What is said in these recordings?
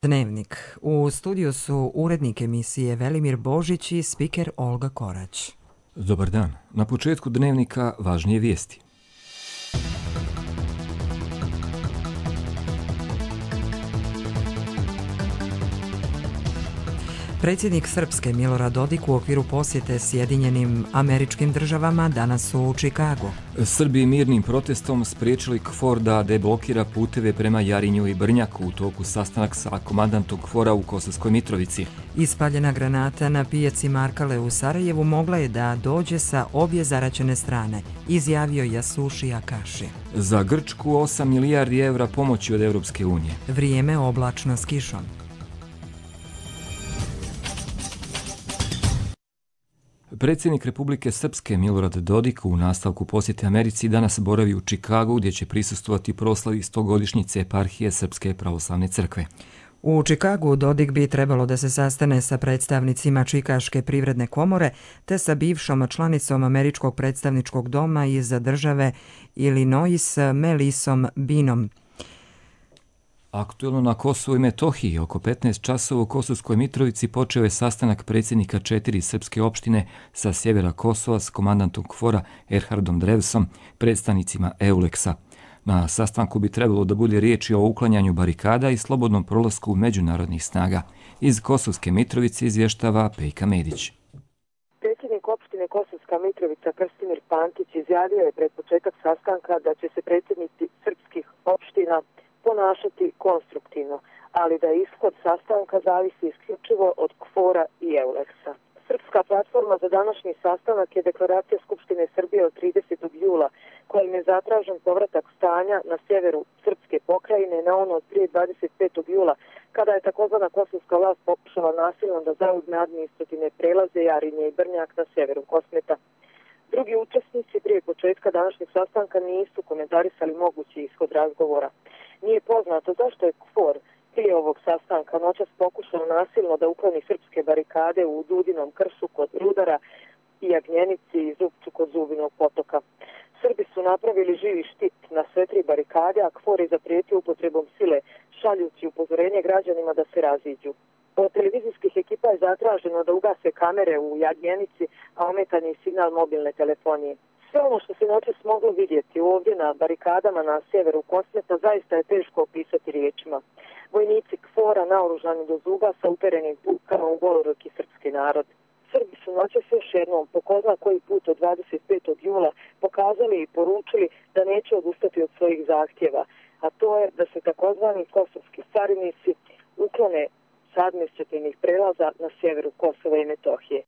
Dnevnik. U studiju su urednik emisije Velimir Božić i spiker Olga Korać. Dobar dan. Na početku Dnevnika važnije vijesti. Predsjednik Srpske Milorad Dodik u okviru posjete Sjedinjenim Američkim Državama danas su u Čikagu. Srbi mirnim protestom spriječili KFOR da deblokira puteve prema Jarinju i Brnjaku u toku sastanak sa komandantom KFOR-a u Kosovskoj Mitrovici. Ispaljena granata na pijaci Markale u Sarajevu mogla je da dođe sa obje zaraćene strane, izjavio Jasuši Akaši. Za Grčku 8 milijardi evra pomoći od Europske unije. Vrijeme oblačno s kišom. Predsjednik Republike Srpske Milorad Dodik u nastavku posjete Americi danas boravi u Čikagu gdje će prisustvovati proslavi 100-godišnjice eparhije Srpske pravoslavne crkve. U Čikagu Dodik bi trebalo da se sastane sa predstavnicima Čikaške privredne komore te sa bivšom članicom Američkog predstavničkog doma iz države Illinois Melisom Binom. Aktuelno na Kosovu i Metohiji, oko 15 časova u Kosovskoj Mitrovici počeo je sastanak predsjednika 4 srpske opštine sa sjevera Kosova s komandantom KFOR-a Erhardom Drevsom, predstavnicima EULEX-a. Na sastanku bi trebalo da bude riječi o uklanjanju barikada i slobodnom prolasku međunarodnih snaga. Iz Kosovske Mitrovice izvještava Pejka Medić. Predsjednik opštine Kosovska Mitrovica Krstimir Pantić izjavio je pred početak sastanka da će se predsjednici srpskih opština ponašati konstruktivno, ali da ishod sastanka zavisi isključivo od KFOR-a i EULEX-a. Srpska platforma za današnji sastanak je deklaracija Skupštine Srbije od 30. jula, kojim je zatražen povratak stanja na sjeveru Srpske pokrajine na ono od prije 25. jula, kada je takozvana kosovska vlast pokušala nasilno da zauzme administrativne prelaze Jarinje i Brnjak na sjeveru Kosmeta. Drugi učesnici prije početka današnjeg sastanka nisu komentarisali mogući ishod razgovora. Nije poznato zašto je KFOR prije ovog sastanka noćas pokušao nasilno da ukloni srpske barikade u Dudinom kršu kod Rudara i Jagnjenici i Zupču kod Zubinog potoka. Srbi su napravili živi štit na sve tri barikade, a KFOR je zaprijetio upotrebom sile, šaljući upozorenje građanima da se raziđu. Od televizijskih ekipa je zatraženo da ugase kamere u Jagnjenici, a ometan je signal mobilne telefonije. Sve ono što se noćas moglo vidjeti ovdje na barikadama na sjeveru Kosmeta zaista je teško opisati riječima. Vojnici KFOR-a naoružani do zuba sa uperenim puškama u goloruki srpski narod. Srbi su noćas još jednom, po ko zna koji put od 25. jula, pokazali i poručili da neće odustati od svojih zahtjeva, a to je da se takozvani kosovski carinici uklone s administrativnih prelaza na sjeveru Kosova i Metohije.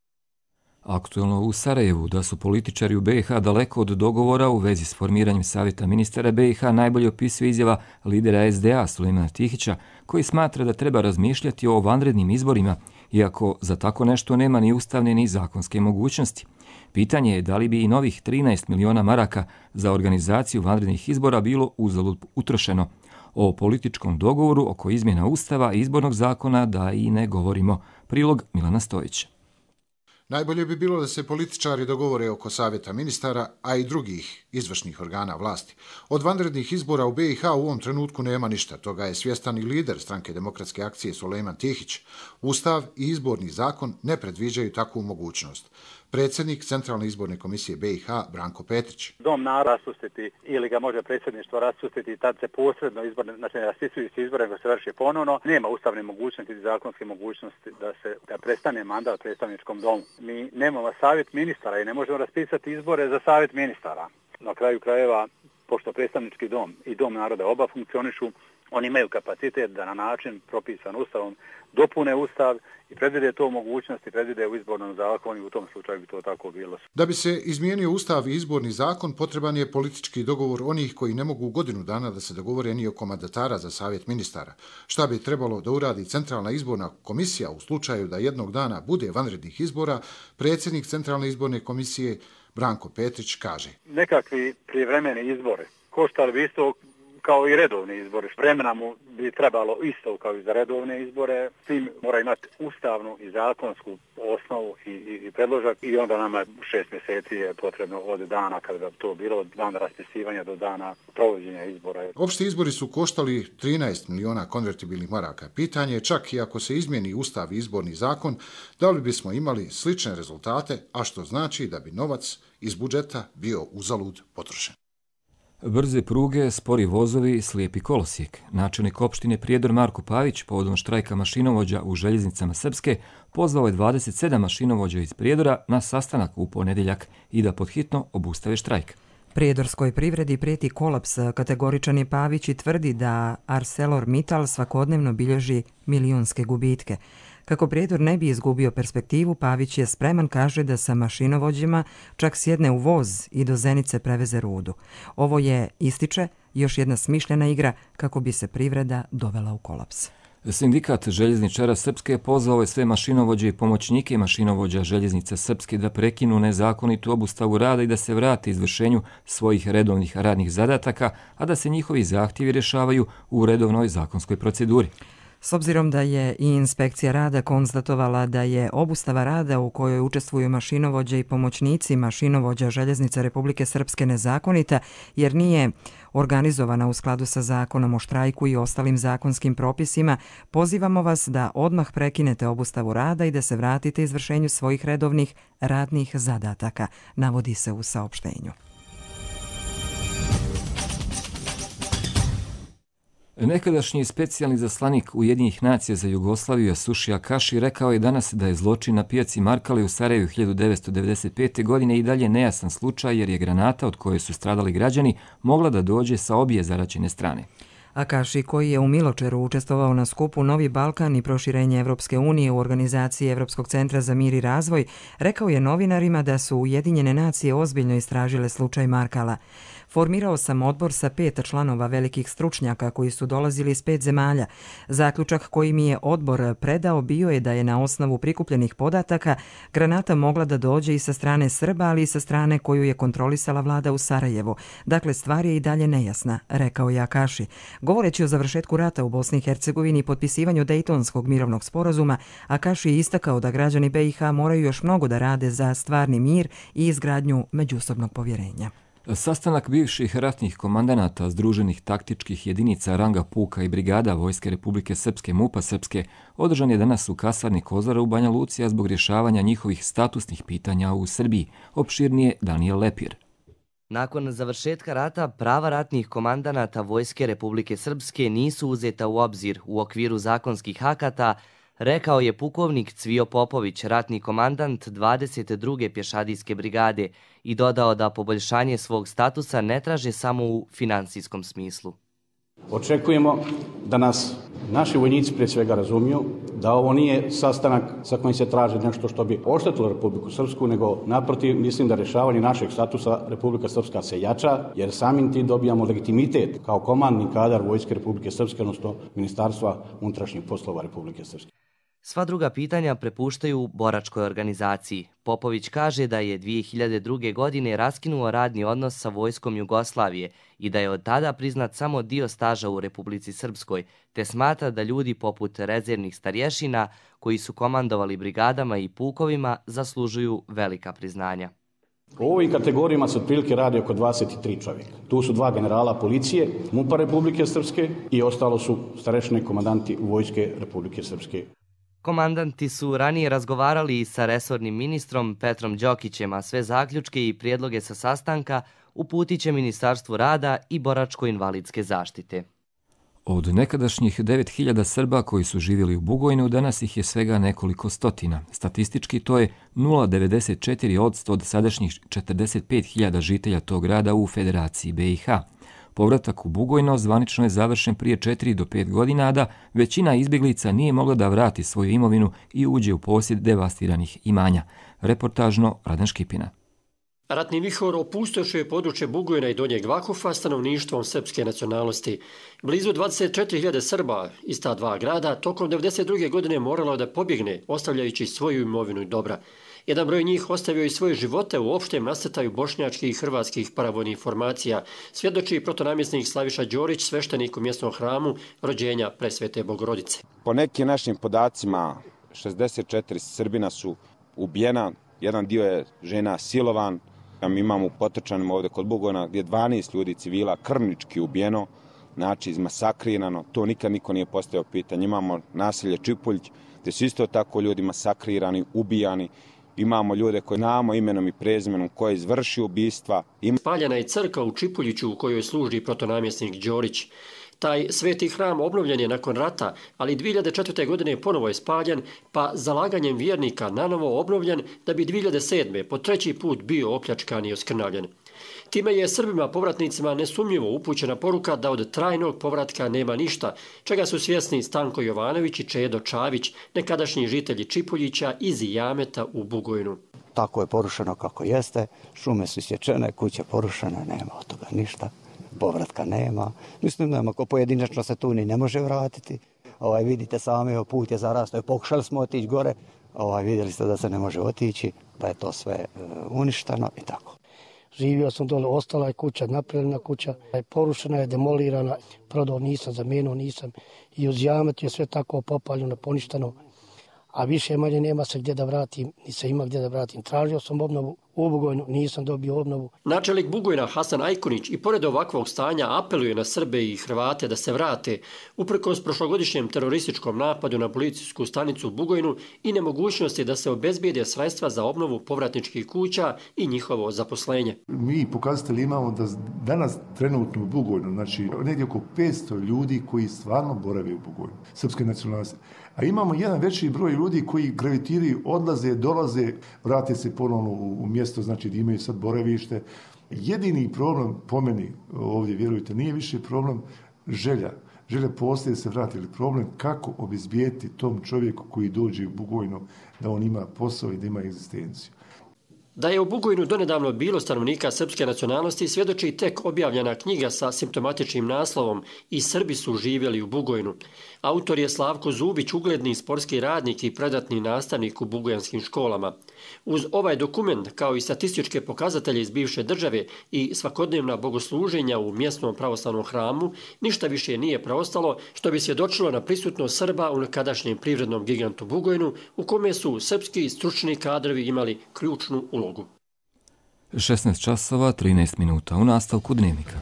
Aktuelno u Sarajevu da su političari u BiH daleko od dogovora u vezi s formiranjem savjeta ministara BiH najbolje opisuje izjava lidera SDA Sulejmana Tihića, koji smatra da treba razmišljati o vanrednim izborima, iako za tako nešto nema ni ustavne ni zakonske mogućnosti. Pitanje je da li bi i novih 13 miliona maraka za organizaciju vanrednih izbora bilo uzalud utrošeno. O političkom dogovoru oko izmjena ustava i izbornog zakona da i ne govorimo. Prilog Milana Stojića. Najbolje bi bilo da se političari dogovore oko savjeta ministara, a i drugih izvršnih organa vlasti. Od vanrednih izbora u BiH u ovom trenutku nema ništa. Toga je svjestan i lider Stranke demokratske akcije Sulejman Tihić. Ustav i izborni zakon ne predviđaju takvu mogućnost. Predsjednik Centralne izborne komisije BiH Branko Petrić. Dom naroda raspustiti ili ga može predsjedništvo raspustiti, tad se posredno izborne, znači ne raspisuju se izbore, nego se vrši ponovno. Nema ustavne mogućnosti i zakonske mogućnosti da prestane mandat predstavničkom domu. Mi nemamo savjet ministara i ne možemo raspisati izbore za savjet ministara. Na kraju krajeva, pošto predstavnički dom i dom naroda oba funkcionišu, oni imaju kapacitet da na način propisan ustavom dopune ustav i predvide to mogućnosti, predvide u izbornom zakonu i u tom slučaju bi to tako bilo. Da bi se izmijenio ustav i izborni zakon, potreban je politički dogovor onih koji ne mogu godinu dana da se dogovore ni oko mandatara za savjet ministara. Šta bi trebalo da uradi Centralna izborna komisija u slučaju da jednog dana bude vanrednih izbora, predsjednik Centralne izborne komisije Branko Petrić kaže. Nekakvi prijevremeni izbore koštali bi isto kao i redovni izbori. Vremena mu bi trebalo isto kao i za redovne izbore. Tim mora imati ustavnu i zakonsku osnovu i predložak i onda nama 6 mjeseci je potrebno od dana kada bi to bilo, od dana raspisivanja do dana provođenja izbora. Opšti izbori su koštali 13 miliona konvertibilnih maraka. Pitanje je čak i ako se izmijeni ustav i izborni zakon, da li bismo imali slične rezultate, a što znači da bi novac iz budžeta bio uzalud potrošen. Brze pruge, spori vozovi, slijepi kolosijek. Načelnik opštine Prijedor Marko Pavić povodom štrajka mašinovođa u željeznicama Srpske pozvao je 27 mašinovođa iz Prijedora na sastanak u ponedjeljak i da podhitno obustave štrajk. Prijedorskoj privredi prijeti kolaps, kategoričan je Pavić i tvrdi da ArcelorMittal svakodnevno bilježi milionske gubitke. Kako Prijedor ne bi izgubio perspektivu, Pavić je spreman, kaže, da sa mašinovođima čak sjedne u voz i do Zenice preveze rudu. Ovo je, ističe, još jedna smišljena igra kako bi se privreda dovela u kolaps. Sindikat željezničara Srpske pozvao je sve mašinovođe i pomoćnike mašinovođa željeznica Srpske da prekinu nezakonitu obustavu rada i da se vrate izvršenju svojih redovnih radnih zadataka, a da se njihovi zahtjevi rješavaju u redovnoj zakonskoj proceduri. S obzirom da je i inspekcija rada konstatovala da je obustava rada u kojoj učestvuju mašinovođe i pomoćnici mašinovođa željeznica Republike Srpske nezakonita, jer nije organizovana u skladu sa zakonom o štrajku i ostalim zakonskim propisima, pozivamo vas da odmah prekinete obustavu rada i da se vratite izvršenju svojih redovnih radnih zadataka, navodi se u saopštenju. Nekadašnji specijalni zaslanik Ujedinjenih nacija za Jugoslaviju Jasuši Akaši rekao je danas da je zločin na pijaci Markale u Sarajevu 1995. godine i dalje nejasan slučaj jer je granata od koje su stradali građani mogla da dođe sa obje zaraćene strane. Akaši, koji je u Miločeru učestvovao na skupu Novi Balkan i proširenje Evropske unije u organizaciji Evropskog centra za mir i razvoj, rekao je novinarima da su Ujedinjene nacije ozbiljno istražile slučaj Markala. Formirao sam odbor sa 5 članova velikih stručnjaka koji su dolazili iz 5 zemalja. Zaključak koji mi je odbor predao bio je da je na osnovu prikupljenih podataka granata mogla da dođe i sa strane Srba, ali i sa strane koju je kontrolisala vlada u Sarajevu. Dakle, stvar je i dalje nejasna, rekao je Akaši. Govoreći o završetku rata u Bosni i Hercegovini i potpisivanju Dejtonskog mirovnog sporazuma, Akaši je istakao da građani BiH moraju još mnogo da rade za stvarni mir i izgradnju međusobnog povjerenja. Sastanak bivših ratnih komandanata združenih taktičkih jedinica ranga puka i brigada Vojske Republike Srpske MUP-a Srpske održan je danas u kasarni Kozara u Banja Luci, a zbog rješavanja njihovih statusnih pitanja u Srbiji. Opširnije Danijel Lepir. Nakon završetka rata, prava ratnih komandanata Vojske Republike Srpske nisu uzeta u obzir u okviru zakonskih akata, rekao je pukovnik Cvijo Popović, ratni komandant 22. pješadijske brigade, i dodao da poboljšanje svog statusa ne traže samo u finansijskom smislu. Očekujemo da nas naši vojnici prije svega razumiju, da ovo nije sastanak sa kojim se traži nešto što bi oštetilo Republiku Srpsku, nego naprotiv mislim da rješavanje našeg statusa Republika Srpska se jača, jer samim tim dobijamo legitimitet kao komandni kadar Vojske Republike Srpske, odnosno Ministarstva unutrašnjih poslova Republike Srpske. Sva druga pitanja prepuštaju boračkoj organizaciji. Popović kaže da je 2002. godine raskinuo radni odnos sa Vojskom Jugoslavije i da je od tada priznat samo dio staža u Republici Srpskoj, te smatra da ljudi poput rezervnih starješina koji su komandovali brigadama i pukovima zaslužuju velika priznanja. U ovim kategorijama se otprilike radi oko 23 čovjeka. Tu su 2 generala policije, MUP-a Republike Srpske i ostalo su starešine komandanti Vojske Republike Srpske. Komandanti su ranije razgovarali i sa resornim ministrom Petrom Đokićem, a sve zaključke i prijedloge sa sastanka uputit će Ministarstvu rada i boračko-invalidske zaštite. Od nekadašnjih 9000 Srba koji su živjeli u Bugojnu, danas ih je svega nekoliko stotina. Statistički to je 0,94% od sadašnjih 45.000 žitelja tog grada u Federaciji BiH. Povratak u Bugojno zvanično je završen prije 4 do 5 godina, a da većina izbjeglica nije mogla da vrati svoju imovinu i uđe u posjed devastiranih imanja. Reportažno Radan Škipina. Ratni vihor opustošio je područje Bugojna i Donjeg Vakufa stanovništvom srpske nacionalnosti. Blizu 24.000 Srba iz ta dva grada tokom 1992. godine moralo da pobjegne, ostavljajući svoju imovinu i dobra. Jedan broj njih ostavio i svoje živote u opštem nasrtaju bošnjačkih i hrvatskih paravojnih formacija, svjedoči protonamjesnik Slaviša Đorić, sveštenik u mjesnom hramu rođenja Presvete Bogorodice. Po nekim našim podacima 64 Srbina su ubijena, jedan dio je žena silovan. Mi imamo u Potrčanim ovdje kod Bugojna gdje 12 ljudi civila krvnički ubijeno, znači izmasakrirano, to nikad niko nije postavio pitanje. Imamo naselje Čipuljć gdje su isto tako ljudi masakrirani, ubijani. Imamo ljude koji znamo imenom i prezimenom koji izvrši ubistva. Spaljena je crkva u Čipuljiću u kojoj služi protonamjesnik Đorić. Taj sveti hram obnovljen je nakon rata, ali 2004. godine ponovo je spaljen, pa zalaganjem vjernika nanovo obnovljen da bi 2007. po treći put bio opljačkan i oskrnavljen. Time je Srbima povratnicima nesumnjivo upućena poruka da od trajnog povratka nema ništa, čega su svjesni Stanko Jovanović i Čedo Čavić, nekadašnji žitelji Čipuljića iz Jameta u Bugojnu. Tako je porušeno kako jeste, šume su isječene, kuće porušene, nema od toga ništa. Povratka nema. Mislim da ako pojedinačno se tu ni ne može vratiti. Vidite sami, put je zarastao. Pokušali smo otići gore, vidjeli ste da se ne može otići, pa je to sve uništeno i tako. Živio sam dole, ostala je kuća, napravljena kuća, porušena je, demolirana, prodao nisam, zamijenio nisam. I uz Jamet je sve tako popaljeno, poništeno, a više manje nema se gdje da vratim, ni se ima gdje da vratim. Tražio sam obnovu u Bugojnu, nisam dobio obnovu. Načelnik Bugojna Hasan Ajkunić i pored ovakvog stanja apeluje na Srbe i Hrvate da se vrate, uprkos prošlogodišnjem terorističkom napadu na policijsku stanicu u Bugojnu i nemogućnosti da se obezbijede sredstva za obnovu povratničkih kuća i njihovo zaposlenje. Mi pokazatelji imamo da danas trenutno u Bugojnu, znači negdje oko 500 ljudi koji stvarno borave u Bugojnu, srpske nacionalnosti. A imamo jedan veći broj ljudi koji gravitiraju, odlaze, dolaze, vrate se ponovno u mjesto, znači da imaju sad boravište. Jedini problem po meni ovdje, vjerujte, nije više problem želja. Želja postoje da se vrati, ali problem kako obezbijeti tom čovjeku koji dođe u Bugojnu da on ima posao i da ima egzistenciju. Da je u Bugojnu donedavno bilo stanovnika srpske nacionalnosti svjedoči tek objavljena knjiga sa simptomatičnim naslovom I Srbi su živjeli u Bugojnu. Autor je Slavko Zubić, ugledni sportski radnik i predatni nastavnik u bugojanskim školama. Uz ovaj dokument, kao i statističke pokazatelje iz bivše države i svakodnevna bogosluženja u mjesnom pravoslavnom hramu, ništa više nije preostalo što bi svjedočilo na prisutnost Srba u nekadašnjem privrednom gigantu Bugojnu, u kome su srpski stručni kadrovi imali ključnu ulogu. 16 časova, 13 minuta u nastavku Dnevnika.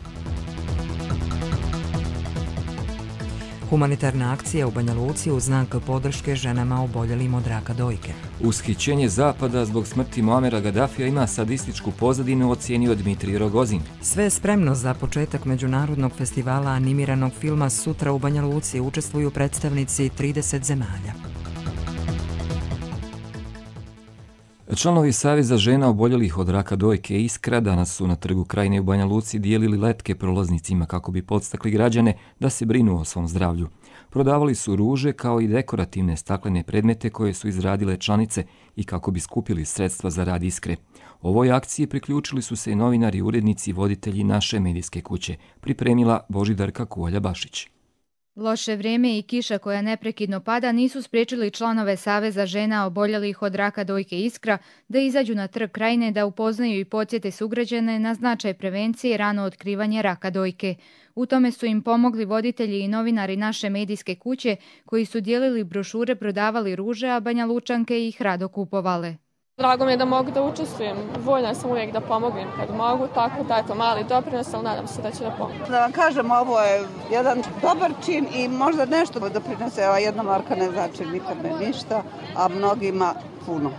Humanitarna akcija u Banja Luci u znak podrške ženama oboljelim od raka dojke. Ushićenje Zapada zbog smrti Muamera Gadafija ima sadističku pozadinu, ocijenio Dmitrij Rogozin. Sve je spremno za početak međunarodnog festivala animiranog filma. Sutra u Banja Luci učestvuju predstavnici 30 zemalja. Članovi Saveza žena oboljelih od raka dojke Iskra danas su na Trgu Krajine u Banja Luci dijelili letke prolaznicima kako bi podstakli građane da se brinu o svom zdravlju. Prodavali su ruže kao i dekorativne staklene predmete koje su izradile članice i kako bi skupili sredstva za rad Iskre. Ovoj akciji priključili su se i novinari i urednici i voditelji naše medijske kuće, pripremila Božidarka Kuolja-Bašić. Loše vrijeme i kiša koja neprekidno pada nisu spriječili članove Saveza žena oboljelih od raka dojke Iskra da izađu na Trg Krajine da upoznaju i podsjete sugrađane na značaj prevencije i rano otkrivanje raka dojke. U tome su im pomogli voditelji i novinari naše medijske kuće koji su dijelili brošure, prodavali ruže, a Banja Lučanke ih rado kupovale. Drago mi je da mogu da učestvujem, voljna sam uvijek da pomognem kad mogu, tako da je to mali doprinos, ali nadam se da će da pomogu. Da vam kažem, ovo je jedan dobar čin i možda nešto doprinose, ova jedna marka ne znači nikome ništa, a mnogima puno.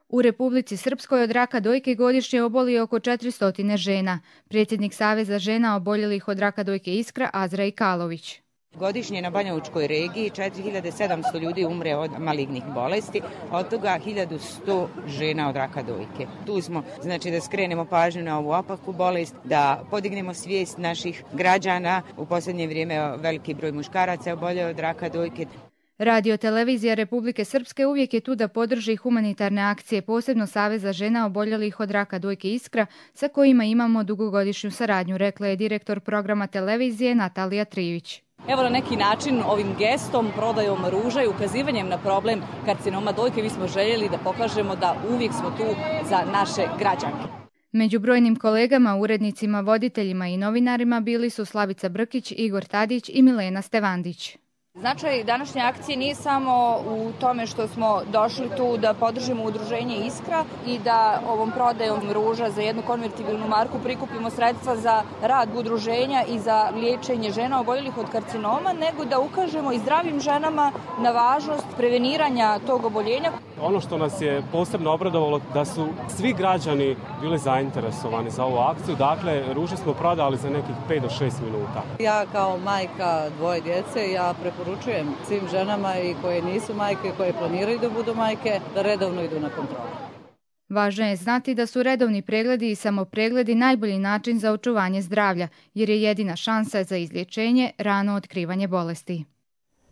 U Republici Srpskoj od raka dojke godišnje oboli oko 400 žena. Predsjednik Saveza žena oboljelih od raka dojke Iskra Azra Ikalović. Godišnje na Banjalučkoj regiji 4700 ljudi umre od malignih bolesti, od toga 1100 žena od raka dojke. Tu smo, znači, da skrenemo pažnju na ovu opaku bolest, da podignemo svijest naših građana. U posljednje vrijeme veliki broj muškaraca oboljeo od raka dojke. Radio televizija Republike Srpske uvijek je tu da podrži humanitarne akcije, posebno Saveza žena oboljelih od raka dojke Iskra, sa kojima imamo dugogodišnju saradnju, rekla je direktor programa televizije Natalija Trivić. Evo na neki način ovim gestom, prodajom ruža i ukazivanjem na problem karcinoma dojke mi smo željeli da pokažemo da uvijek smo tu za naše građanke. Među brojnim kolegama, urednicima, voditeljima i novinarima bili su Slavica Brkić, Igor Tadić i Milena Stevandić. Značaj današnje akcije nije samo u tome što smo došli tu da podržimo udruženje Iskra i da ovom prodajom ruža za jednu konvertibilnu marku prikupimo sredstva za rad udruženja i za liječenje žena oboljelih od karcinoma, nego da ukažemo i zdravim ženama na važnost preveniranja tog oboljenja. Ono što nas je posebno obradovalo da su svi građani bili zainteresovani za ovu akciju. Dakle, ruže smo prodali za nekih 5 do 6 minuta. Ja kao majka dvoje djece, ja preporučujem svim ženama i koje nisu majke, koje planiraju da budu majke, da redovno idu na kontrolu. Važno je znati da su redovni pregledi i samopregledi najbolji način za očuvanje zdravlja, jer je jedina šansa za izlječenje rano otkrivanje bolesti.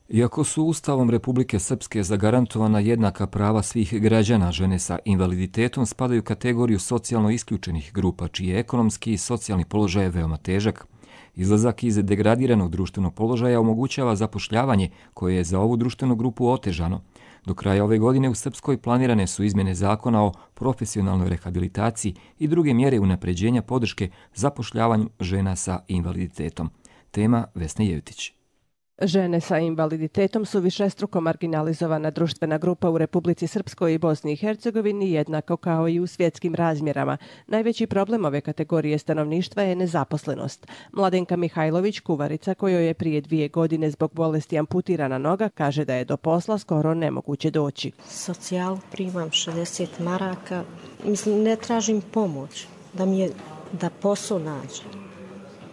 Iako su Ustavom Republike Srpske zagarantovana jednaka prava svih građana, žene sa invaliditetom spadaju u kategoriju socijalno isključenih grupa, čiji je ekonomski i socijalni položaj veoma težak. Izlazak iz degradiranog društvenog položaja omogućava zapošljavanje koje je za ovu društvenu grupu otežano. Do kraja ove godine u Srpskoj planirane su izmjene zakona o profesionalnoj rehabilitaciji i druge mjere unapređenja podrške zapošljavanju žena sa invaliditetom. Tema Vesna Jevtić. Žene sa invaliditetom su višestruko marginalizovana društvena grupa u Republici Srpskoj i Bosni i Hercegovini, jednako kao i u svjetskim razmjerama. Najveći problem ove kategorije stanovništva je nezaposlenost. Mladenka Mihajlović, kuvarica kojoj je prije 2 godine zbog bolesti amputirana noga, kaže da je do posla skoro nemoguće doći. Socijalu primam 60 maraka. Mislim, ne tražim pomoć da posao nađem,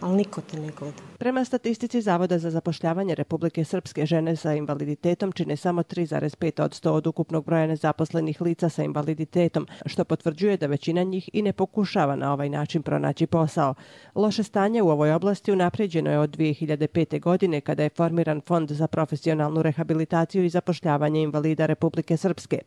ali niko te ne gleda. Prema statistici Zavoda za zapošljavanje Republike Srpske, žene sa invaliditetom čine samo 3,5% od ukupnog broja nezaposlenih lica sa invaliditetom, što potvrđuje da većina njih i ne pokušava na ovaj način pronaći posao. Loše stanje u ovoj oblasti unaprijeđeno je od 2005. godine kada je formiran Fond za profesionalnu rehabilitaciju i zapošljavanje invalida Republike Srpske.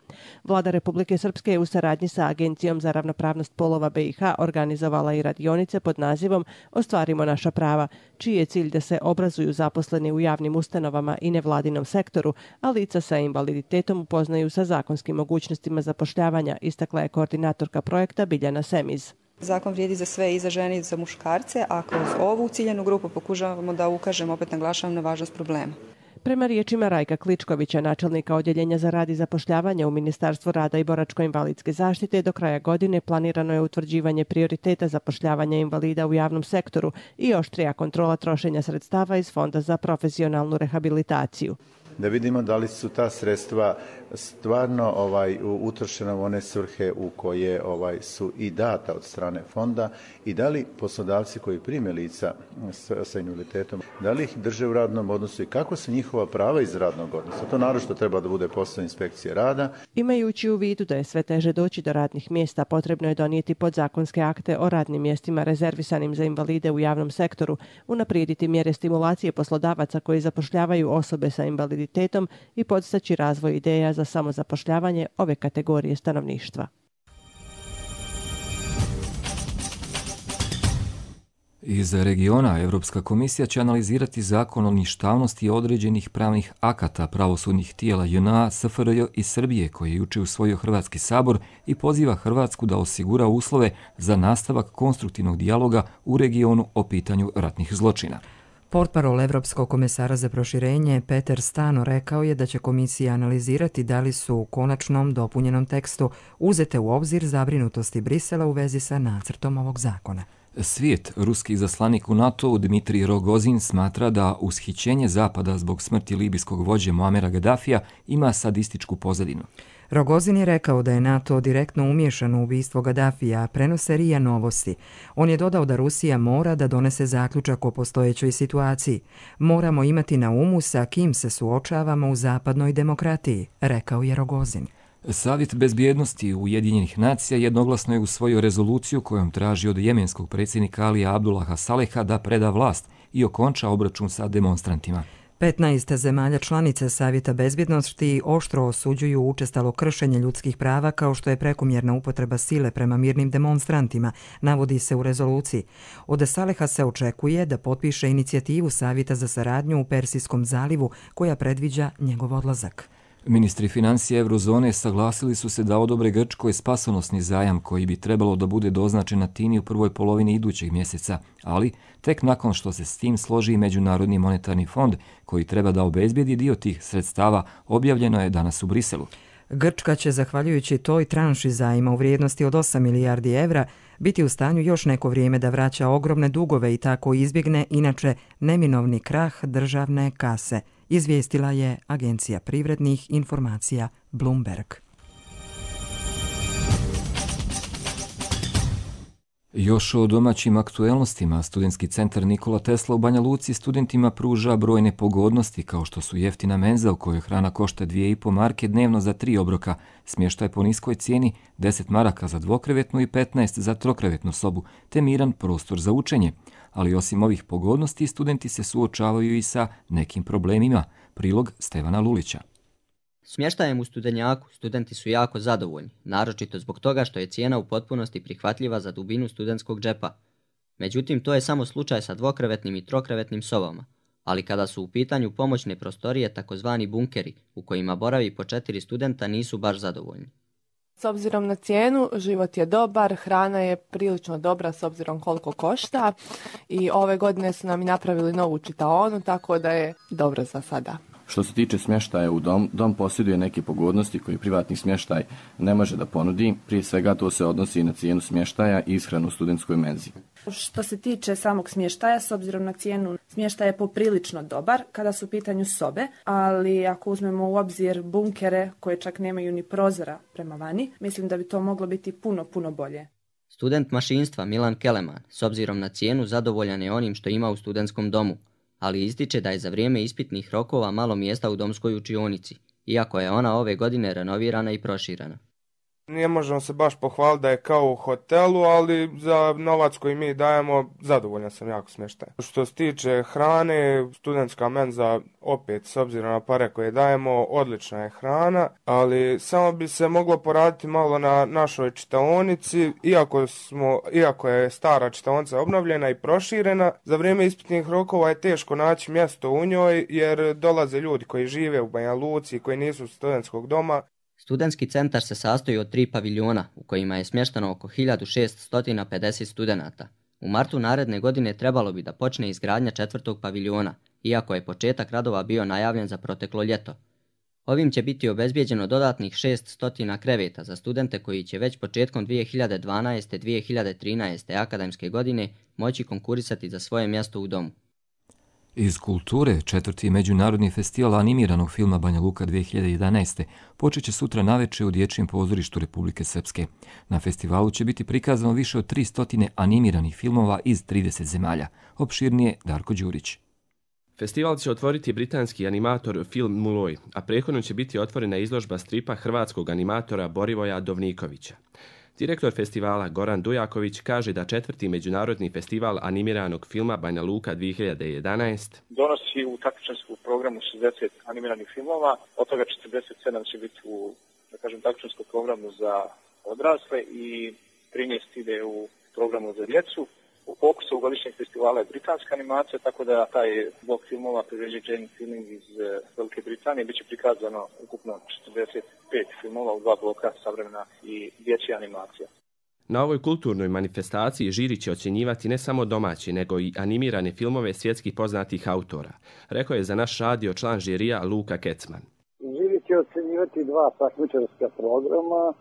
Vlada Republike Srpske je u saradnji sa Agencijom za ravnopravnost polova BiH organizovala i radionice pod nazivom Ostvarimo naša prava, čiji je cilj da se obrazuju zaposleni u javnim ustanovama i nevladinom sektoru, a lica sa invaliditetom upoznaju sa zakonskim mogućnostima zapošljavanja, istakla je koordinatorka projekta Biljana Semiz. Zakon vrijedi za sve, i za žene i za muškarce, a kroz ovu ciljanu grupu pokušavamo da ukažemo, opet naglašavam, na važnost problema. Prema riječima Rajka Kličkovića, načelnika Odjeljenja za rad i zapošljavanje u Ministarstvu rada i boračko-invalidske zaštite, do kraja godine planirano je utvrđivanje prioriteta zapošljavanja invalida u javnom sektoru i oštrija kontrola trošenja sredstava iz Fonda za profesionalnu rehabilitaciju. Da vidimo da li su ta sredstva stvarno utrošena u one svrhe u koje su i data od strane fonda i da li poslodavci koji prime lica sa invaliditetom, da li ih drže u radnom odnosu i kako su njihova prava iz radnog odnosa. To naročito treba da bude posao inspekcije rada. Imajući u vidu da je sve teže doći do radnih mjesta, potrebno je donijeti podzakonske akte o radnim mjestima rezervisanim za invalide u javnom sektoru, unaprijediti mjere stimulacije poslodavaca koji zapošljavaju osobe sa invaliditetom i podstaći razvoj ideja za samozapošljavanje ove kategorije stanovništva. Iz regiona Europska komisija će analizirati zakon o ništavnosti određenih pravnih akata pravosudnih tijela JNA, SFRJ i Srbije, koji je juče usvojio Hrvatski sabor i poziva Hrvatsku da osigura uslove za nastavak konstruktivnog dijaloga u regionu o pitanju ratnih zločina. Portparol Evropskog komesara za proširenje Peter Stano rekao je da će komisija analizirati da li su u konačnom dopunjenom tekstu uzete u obzir zabrinutosti Brisela u vezi sa nacrtom ovog zakona. Svijet, ruski izaslanik u NATO Dmitrij Rogozin smatra da ushićenje Zapada zbog smrti libijskog vođe Muamera Gaddafija ima sadističku pozadinu. Rogozin je rekao da je NATO direktno umiješan u ubistvo Gaddafija, prenose RIA Novosti. On je dodao da Rusija mora da donese zaključak o postojećoj situaciji. Moramo imati na umu sa kim se suočavamo u zapadnoj demokratiji, rekao je Rogozin. Savjet bezbjednosti Ujedinjenih nacija jednoglasno je usvojio rezoluciju kojom traži od jemenskog predsjednika Alija Abdullaha Saleha da preda vlast i okonča obračun sa demonstrantima. 15 zemalja članice Savjeta bezbjednosti oštro osuđuju učestalo kršenje ljudskih prava kao što je prekomjerna upotreba sile prema mirnim demonstrantima, navodi se u rezoluciji. Od Saleha se očekuje da potpiše inicijativu Savjeta za saradnju u Persijskom zalivu koja predviđa njegov odlazak. Ministri financija Eurozone saglasili su se da odobre Grčkoj spasonosni zajam koji bi trebalo da bude doznačen Atini u prvoj polovini idućeg mjeseca, ali tek nakon što se s tim složi i Međunarodni monetarni fond koji treba da obezbijedi dio tih sredstava, objavljeno je danas u Briselu. Grčka će, zahvaljujući toj tranši zajma u vrijednosti od 8 milijardi evra, biti u stanju još neko vrijeme da vraća ogromne dugove i tako izbjegne inače neminovni krah državne kase, izvijestila je Agencija privrednih informacija Bloomberg. Još o domaćim aktuelnostima, studentski centar Nikola Tesla u Banja Luci studentima pruža brojne pogodnosti kao što su jeftina menza u kojoj hrana košta 2,5 marke dnevno za 3 obroka, smještaj po niskoj cijeni, 10 maraka za dvokrevetnu i 15 za trokrevetnu sobu, te miran prostor za učenje. Ali osim ovih pogodnosti, studenti se suočavaju i sa nekim problemima. Prilog Stevana Lulića. Smještajem u Studenjaku studenti su jako zadovoljni, naročito zbog toga što je cijena u potpunosti prihvatljiva za dubinu studentskog džepa. Međutim, to je samo slučaj sa dvokrevetnim i trokrevetnim sobama, ali kada su u pitanju pomoćne prostorije, takozvani bunkeri, u kojima boravi po 4 studenta, nisu baš zadovoljni. S obzirom na cijenu, život je dobar, hrana je prilično dobra s obzirom koliko košta i ove godine su nam i napravili novu čitaonu, tako da je dobro za sada. Što se tiče smještaja u dom posjeduje neke pogodnosti koje privatni smještaj ne može da ponudi. Prije svega to se odnosi i na cijenu smještaja i ishranu u studentskoj menzi. Što se tiče samog smještaja, s obzirom na cijenu, smještaj je poprilično dobar kada su u pitanju sobe, ali ako uzmemo u obzir bunkere koje čak nemaju ni prozora prema vani, mislim da bi to moglo biti puno bolje. Student mašinstva Milan Keleman, s obzirom na cijenu, zadovoljan je onim što ima u studentskom domu, ali ističe da je za vrijeme ispitnih rokova malo mjesta u domskoj učionici, iako je ona ove godine renovirana i proširena. Ne možemo se baš pohvaliti da je kao u hotelu, ali za novac koji mi dajemo zadovoljan sam jako smještaj. Što se tiče hrane, studentska menza opet s obzirom na pare koje dajemo, odlična je hrana, ali samo bi se moglo poraditi malo na našoj čitaonici, iako je stara čitaonica obnovljena i proširena, za vrijeme ispitnih rokova je teško naći mjesto u njoj jer dolaze ljudi koji žive u Banja Luci, koji nisu studentskog doma. Studentski centar se sastoji od 3 paviljona u kojima je smješteno oko 1650 studenata. U martu naredne godine trebalo bi da počne izgradnja 4. paviljona, iako je početak radova bio najavljen za proteklo ljeto. Ovim će biti obezbijeđeno dodatnih 600 kreveta za studente koji će već početkom 2012-2013. akademske godine moći konkurisati za svoje mjesto u domu. Iz kulture, 4. međunarodni festival animiranog filma Banja Luka 2011. počet će sutra navečer u Dječjem pozorištu Republike Srpske. Na festivalu će biti prikazano više od 300 animiranih filmova iz 30 zemalja. Opširnije Darko Đurić. Festival će otvoriti britanski animator Film Muloj, a prethodno će biti otvorena izložba stripa hrvatskog animatora Borivoja Dovnikovića. Direktor festivala Goran Dujaković kaže da 4. međunarodni festival animiranog filma Banja Luka 2011 donosi u takmičarskom programu 60 animiranih filmova, od toga 47 će biti u takmičarskom programu za odrasle i 13 ide u programu za djecu. U fokusu godišnjeg festivala je britanska animacija, tako da taj blok filmova priređuje Jane Feeling iz Velike Britanije. Biće prikazano ukupno 45 filmova u 2 bloka, savremena i dječja animacija. Na ovoj kulturnoj manifestaciji žiri će ocjenjivati ne samo domaće, nego i animirane filmove svjetskih poznatih autora, rekao je za naš radio član žirija Luka Kecman. Žiri će ocjenjivati 2 takmičarska programa.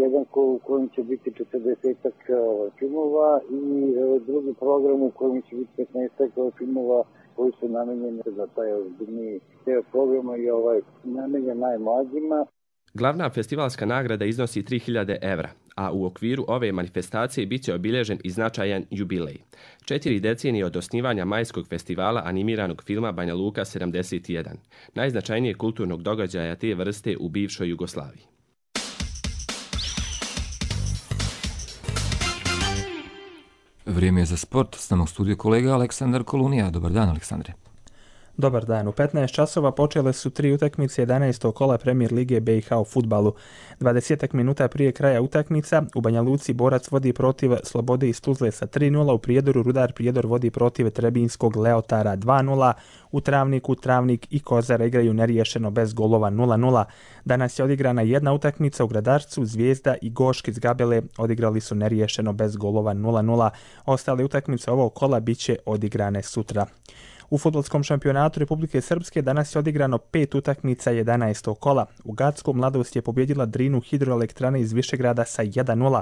Jedan u kojem će biti 40 filmova i drugi program u kojem će biti 15 filmova koji su namenjeni za taj ozbiljniji deo programa i namenjen najmlađima. Glavna festivalska nagrada iznosi 3000 evra, a u okviru ove manifestacije bit će obilježen i značajan jubilej. 4 decenije od osnivanja majskog festivala animiranog filma Banja Luka 71, najznačajnijeg kulturnog događaja te vrste u bivšoj Jugoslaviji. Vrijeme je za sport. S nama u studiju kolega Aleksandar Kolunija. Dobar dan, Aleksandre. Dobar dan. U 15 časova počele su 3 utakmice 11. kola Premier lige BiH u fudbalu. 20 minuta prije kraja utakmica u Banja Luci Borac vodi protiv Slobode iz Tuzle sa 3:0, u Prijedoru Rudar Prijedor vodi protiv Trebinjskog Leotara 2:0, u Travniku Travnik i Kozara igraju neriješeno bez golova 0:0. Danas je odigrana jedna utakmica u Gradarcu, Zvijezda i Gošk iz Gabele odigrali su neriješeno bez golova 0:0. Ostale utakmice ovog kola biće odigrane sutra. U fudbalskom šampionatu Republike Srpske danas je odigrano 5 utakmica 11. kola. U Gacku Mladost je pobjedila Drinu hidroelektrane iz Višegrada sa 1:0.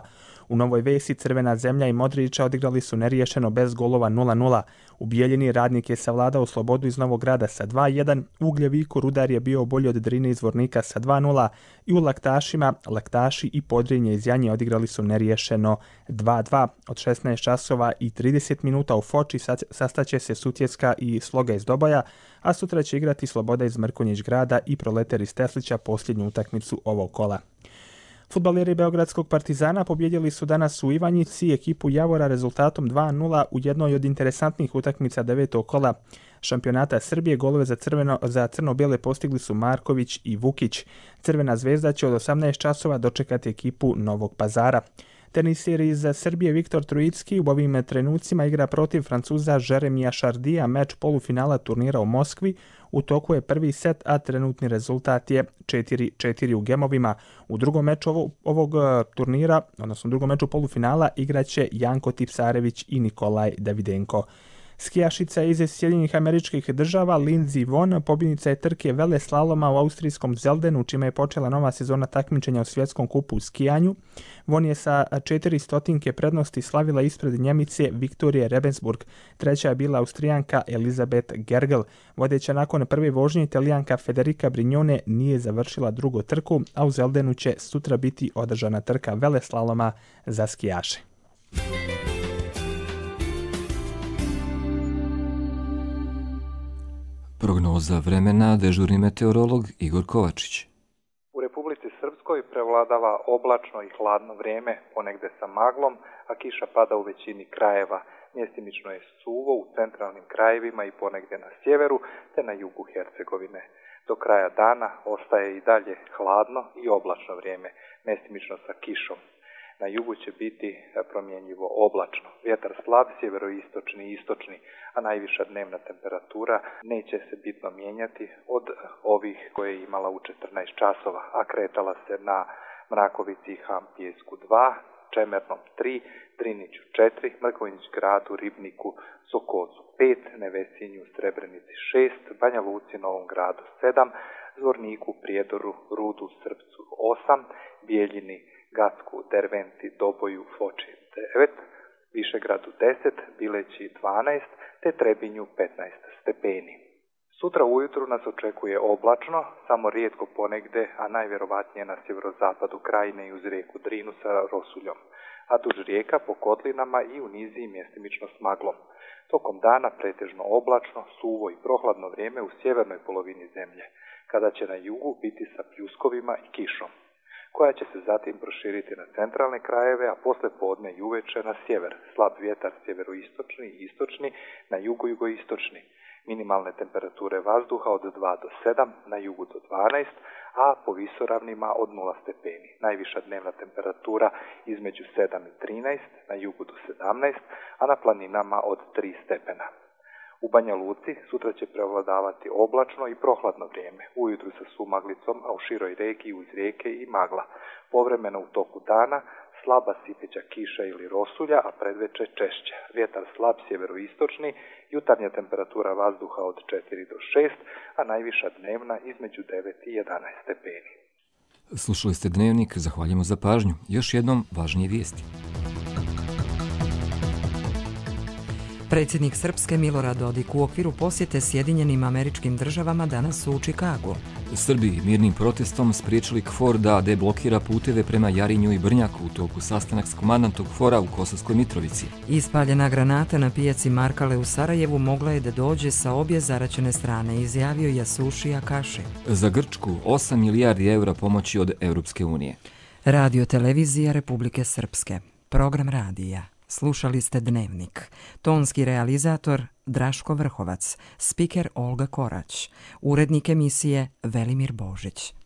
U Novoj Vesi Crvena Zemlja i Modrića odigrali su neriješeno bez golova 0:0. U Bijeljini Radnik je savladao Slobodu iz Novog Grada sa 2:1. U Ugljeviku Rudar je bio bolji od Drine iz Vornika sa 2:0. I u Laktašima Laktaši i Podrinje iz Janje odigrali su neriješeno 2:2. Od 16 časova i 30 minuta u Foči sastaće se Sutjeska i Sloga iz Doboja, a sutra će igrati Sloboda iz Mrkonjić Grada i Proletar iz Teslića posljednju utakmicu ovog kola. Fudbaleri Beogradskog Partizana pobjedili su danas u Ivanjici ekipu Javora rezultatom 2:0 u jednoj od interesantnih utakmica 9. kola šampionata Srbije. Golove za crno-bijele postigli su Marković i Vukić. Crvena zvezda će od 18 časova dočekati ekipu Novog Pazara. Teniser iz Srbije Viktor Trojicki u ovim trenucima igra protiv Francuza Jeremija Šardija, meč polufinala turnira u Moskvi. U toku je prvi set, a trenutni rezultat je 4:4 u gemovima. U drugom meču ovog turnira, odnosno u drugom meču polufinala, igraće Janko Tipsarević i Nikolaj Davidenko. Skijašica iz Sjedinjenih Američkih Država Lindsey Vonn pobjednica je trke veleslaloma u austrijskom Zeldenu, čime je počela nova sezona takmičenja u svjetskom kupu u skijanju. Vonn je sa 400 prednosti slavila ispred Njemice Viktorije Rebensburg. Treća je bila Austrijanka Elizabeth Gergel. Vodeća nakon prve vožnje Italijanka Federica Brignone nije završila drugu trku, a u Zeldenu će sutra biti održana trka veleslaloma za skijaše. Prognoza vremena, dežurni meteorolog Igor Kovačić. U Republici Srpskoj prevladava oblačno i hladno vrijeme, ponegde sa maglom, a kiša pada u većini krajeva. Mjestimično je suvo u centralnim krajevima i ponegdje na sjeveru, te na jugu Hercegovine. Do kraja dana ostaje i dalje hladno i oblačno vrijeme, mjestimično sa kišom. Na jugu će biti promjenjivo oblačno. Vjetar slab, sjeveroistočni i istočni, a najviša dnevna temperatura neće se bitno mijenjati od ovih koje je imala u 14 časova, a kretala se na Mrakovici i Hampijesku 2, Čemernom 3, Driniću 4, Mrkonjić Gradu, Ribniku, Sokocu 5, Nevesinju, Srebrenici 6, Banja Luci, Novom Gradu 7, Zvorniku, Prijedoru, Rudu, Srpcu 8, Bijeljini, Gacku, Derventi, Doboju, Foči 9, Višegradu 10, Bileći 12, te Trebinju 15 stepeni. Sutra ujutru nas očekuje oblačno, samo rijetko ponegde, a najvjerovatnije na sjeverozapadu krajine i uz rijeku Drinu sa rosuljom, a duž rijeka po kotlinama i u niziji mjestimično s maglom. Tokom dana pretežno oblačno, suvo i prohladno vrijeme u sjevernoj polovini zemlje, kada će na jugu biti sa pljuskovima i kišom, koja će se zatim proširiti na centralne krajeve, a posle podne i uveče na sjever. Slab vjetar sjeveroistočni i istočni, na jugu jugoistočni. Minimalne temperature vazduha od 2 do 7, na jugu do 12, a po visoravnima od 0 stepeni. Najviša dnevna temperatura između 7 i 13, na jugu do 17, a na planinama od 3 stepena. U Banja Luci sutra će prevladavati oblačno i prohladno vrijeme, ujutru sa sumaglicom, a u široj regiji uz rijeke i magla. Povremeno u toku dana slaba sipeća kiša ili rosulja, a predveče češća. Vjetar slab sjeveroistočni, jutarnja temperatura vazduha od 4 do 6, a najviša dnevna između 9 i 11 stepeni. Slušali ste Dnevnik, zahvaljujemo za pažnju. Još jednom važnije vijesti. Predsjednik Srpske Milorad Dodik u okviru posjete Sjedinjenim Američkim Državama danas su u Čikagu. Srbi mirnim protestom spriječili KFOR da deblokira puteve prema Jarinju i Brnjaku u toku sastanak s komandantom KFOR-a u Kosovskoj Mitrovici. Ispaljena granata na pijaci Markale u Sarajevu mogla je da dođe sa obje zaraćene strane, izjavio Jasušija Kaše. Za Grčku 8 milijardi eura pomoći od Europske unije. Radio televizija Republike Srpske. Program radija. Slušali ste Dnevnik. Tonski realizator Draško Vrhovac, spiker Olga Korać, urednik emisije Velimir Božić.